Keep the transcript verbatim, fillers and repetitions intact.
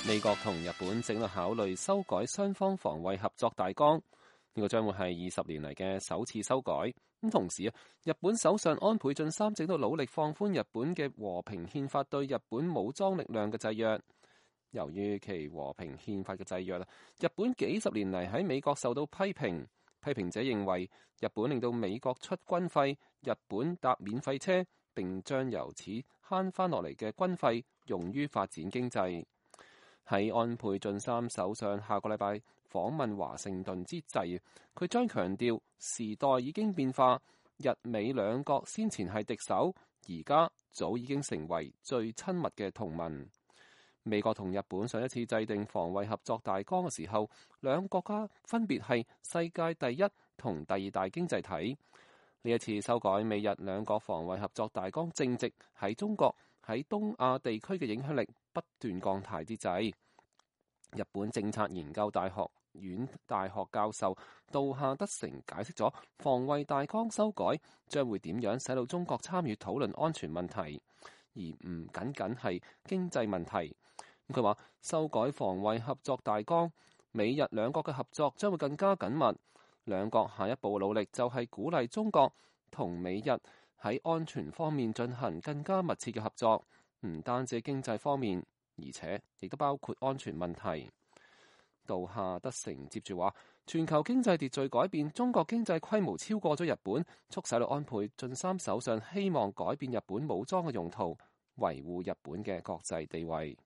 美國同日本正在考慮修改雙方防衛合作大綱，呢、這個將會係二十年嚟嘅首次修改。咁同時啊，日本首相安倍晉三正在努力放寬日本嘅和平憲法對日本武裝力量嘅制約。由於其和平憲法嘅制約，日本幾十年嚟喺美國受到批評。批評者認為日本令到美國出軍費，日本搭免費車，並將由此慳翻落嚟嘅軍費用於發展經濟。喺安倍晉三首相下個禮拜訪問華盛頓之際，佢將強調時代已經變化，日美兩國先前係敵手，而家早已經成為最親密嘅同盟。美國同日本上一次制定防衛合作大綱嘅時候，兩國家分別係世界第一同第二大經濟體。呢一次修改美日兩國防衛合作大綱，正值喺中國喺東亞地區嘅影響力不斷降態之際。日本政策研究大學院大學教授杜夏德成解釋咗防衛大綱修改將會點樣使到中國參與討論安全問題，而唔僅僅係經濟問題。佢話修改防衛合作大綱，美日兩國嘅合作將會更加緊密。兩國下一步努力就係鼓勵中國同美日喺安全方面進行更加密切嘅合作，唔單止經濟方面，而且亦都包括安全問題。杜夏德成接住話，全球經濟秩序改變，中國經濟規模超過咗日本，促使到安倍晉三首相希望改變日本武裝嘅用途，維護日本嘅國際地位。